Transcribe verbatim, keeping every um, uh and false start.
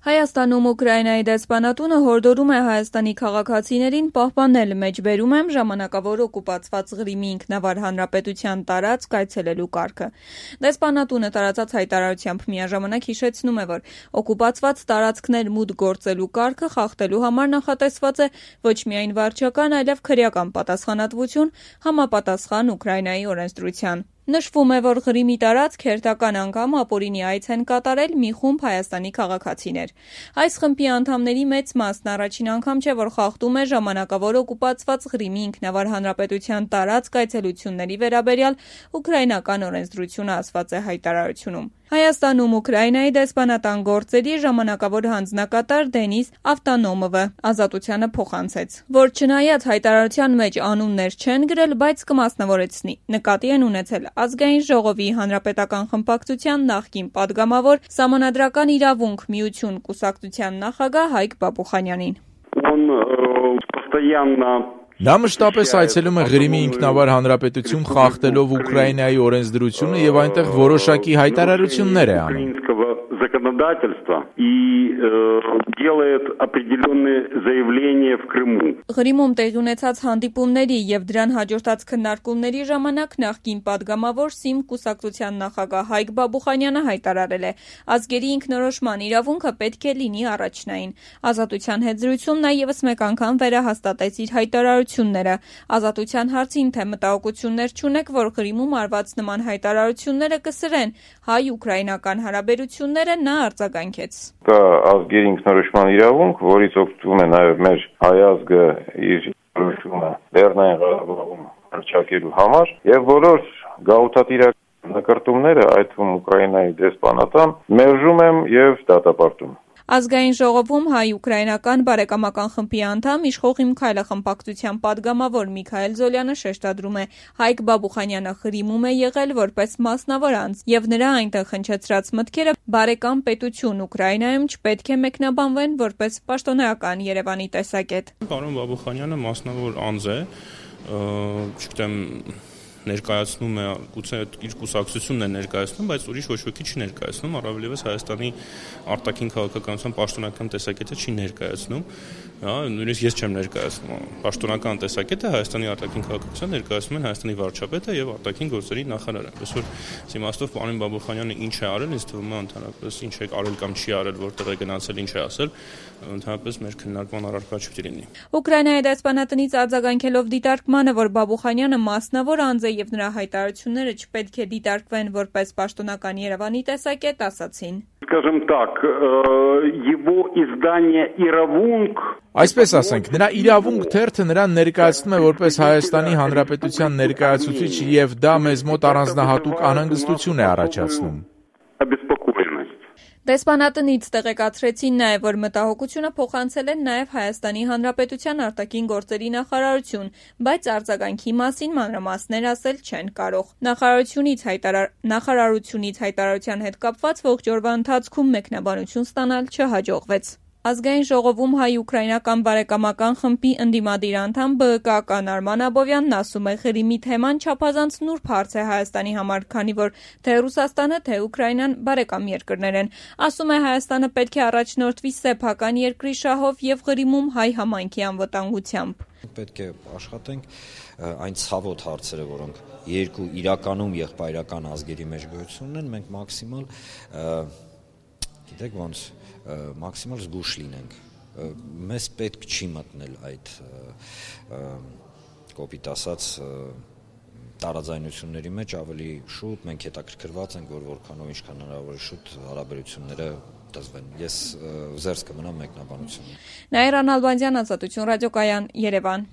Հայաստանում Ուկրաինայի դեսպանատունը հորդորում է Հայաստանի քաղաքացիներին պահպանել մեջբերում եմ ժամանակավոր օկուպացված Ղրիմի ինքնավար հանրապետության տարածք այցելելու կարգը։ Դեսպանատունը տարածած հայտարարությամբ միաժամանակ հիշեցնում է, որ օկուպացված տարածքներ մուտք գործելու կարգը խախտելու համար նախատեսված է ոչ միայն վարչական, այլև քրեական պատասխանատվություն համապատասխան Ուկրաինայի օրենսդրության։ Նշվում է, որ Ղրիմի տարածք հերթական անգամ ապօրինի այց են կատարել մի խումբ Հայաստանի քաղաքացիներ։ Այս խմբի անդամների մեծ մասն առաջին անգամ չէ, որ խախտում է ժամանակավոր օկուպացված Ղրիմի ինքնավար հանրապետության տարածք այցելությունների վերաբերյալ ուկրաինական օրենսդրությունը ասված է հայտարարությունում։ Հայաստանում Ուկրաինայի դեսպանատան գործերի ժամանակավոր հանձնակատար Դենիս Ավտոնոմովը Ազատությանը փոխանցեց, որ չնայած հայտարարության մեջ անուններ չեն գրել, բայց կմասնավորեցնի։ Նկատի են ունեցել Ազգային ժողովի հանրապետական խմբակցության նախկին падգամավոր Սահմանադրական իրավունք միություն կուսակցության նախագահ Հայկ Բաբուխանյանին։ Նա մշտապես այցելում է Ղրիմի ինքնավար հանրապետություն խախտելով Ուկրաինայի օրենսդրությունը եւ այնտեղ որոշակի հայտարարություններ է անում։ Ղրիմում տեղի ունեցած հանդիպումների եւ դրան հաջորդած քննարկումների ժամանակ նախկին падգամավոր ՍԻՄ կուսակցության նախագահ Հայկ Բաբուխանյանը հայտարարել է. ազգերի ինքնորոշման իրավունքը պետք է լինի առաջնային։ Ազատության հետ զրույցում նա եւս մեկ անգամ վերահաստատեց իր հայտարարությունները։ Ազատության հարցին, թե մտահոգություններ չունեք, որ Ղրիմում արված նման հայտարարությունները կսրեն հայ-ուկրաինական հարաբերությունները, նա արձագանքեց։ Կա ազգերի ինքնորոշման իրավունք, որից օգտվում է նաև մեր հայ ազգը իր ինքնորոշումը Լեռնային Ղարաբաղում հռչակելու համար, եւ բոլոր գաղութատիրական նկարտումները, այդ թվում Ուկրաինայի դեսպանատան, մերժում եմ եւ դատապարտում։ Ազգային ժողովում հայ-ուկրաինական բարեկամական խմբի անդամ իշխող Իմ Քայլը խմբակցության падգամավոր Միքայել Զոլյանը շեշտադրում է. Հայկ Բաբուխանյանը Ղրիմում է եղել որպես մասնավոր անձ, եւ նրա այնտեղ հնչեցրած մտքերը բարեկամ պետություն Ուկրաինայում չպետք է մեկնաբանվեն որպես պաշտոնեական Երևանի տեսակետ։ Պարոն Բաբուխանյանը մասնավոր անձ է, չգիտեմ ներկայացնում է, գուցե իր կուսակցությունն է ներկայացնում, բայց ուրիշ ոչ ոքի չի ներկայացնում, առավելևս Հայաստանի արտաքին քաղաքականության պաշտոնական տեսակետը չի ներկայացնում, հա, նույնիսկ ես չեմ ներկայացնում։ Պաշտոնական տեսակետը Հայաստանի արտաքին քաղաքականության ներկայացնում են Հայաստանի վարչապետը եւ արտաքին գործերի նախարարը։ Այսօր իմաստով պարոն Բաբուխանյանը ինչ է արել, ինձ թվում է ընդհանրապես ինչ է արել կամ չի արել, որտեղ է գնացել, ինչ է ասել, ընդհանրապես մեր քննարկման առարկա չի լինի։ Ուկրաինայի դեսպանատնից արձագանքելով դիտարկմանը, որ Բաբուխանյանը մասնավոր անձ է եւ նրա հայտարարությունները չպետք է դիտարկվեն որպես պաշտոնական Երևանի տեսակետ, ասացին. Այսպես ասենք, նրա իրավունք թերթը նրան ներկայացնում է որպես Հայաստանի Հանրապետության ներկայացուցիչ եւ դա մեզ մոտ առանձնահատուկ անհանգստություն է առաջացնում։ Դեսպանատնից տեղեկացրեցին նաև, որ մտահոգությունը փոխանցել են նաև Հայաստանի Հանրապետության արտաքին գործերի նախարարություն, բայց արձագանքի մասին մանրամասներ ասել չեն կարող։ Նախարարությունից հայտարար... Նախարարությունից հայտարարության հետ կապված ողջ օրվա ընթացքում մեկնաբանություն ստանալ չհաջողվեց։ Ազգային ժողովում հայ-ուկրաինական բարեկամական խմբի ընդդիմադիր անդամ ԲԸԿ-ական Արման Աբովյանն ասում է, Ղրիմի թեման չափազանց նուրբ հարց է Հայաստանի համար, քանի որ թե Ռուսաստանը, թե Ուկրաինան բարեկամ երկրներ են։ Ասում է, Հայաստանը պետք է առաջնորդվի սեփական երկրի շահով եւ Ղրիմում հայ համայնքի անվտանգությամբ։ Պետք է աշխատենք այն ցավոտ հարցերը, որոնք երկու իրականում եղբայրական ազգերի մեջ գոյություն ունեն, մենք մաքսիմալ, գիտեք ոնց, մաքսիմալ զգուշ լինենք։ Մեզ պետք չի մտնել այդ կոպիտ ասած տարաձայնությունների մեջ ավելի շուտ, մենք հետաքրքրված ենք, որ որքանով ինչքան հնարավոր է շուտ հարաբերությունները դզվեն։ Ես զերծ կմնամ մեկնաբանություն։ Նաիրա Նալբանդյան, Ազատություն ռադիոկայան, Երևան։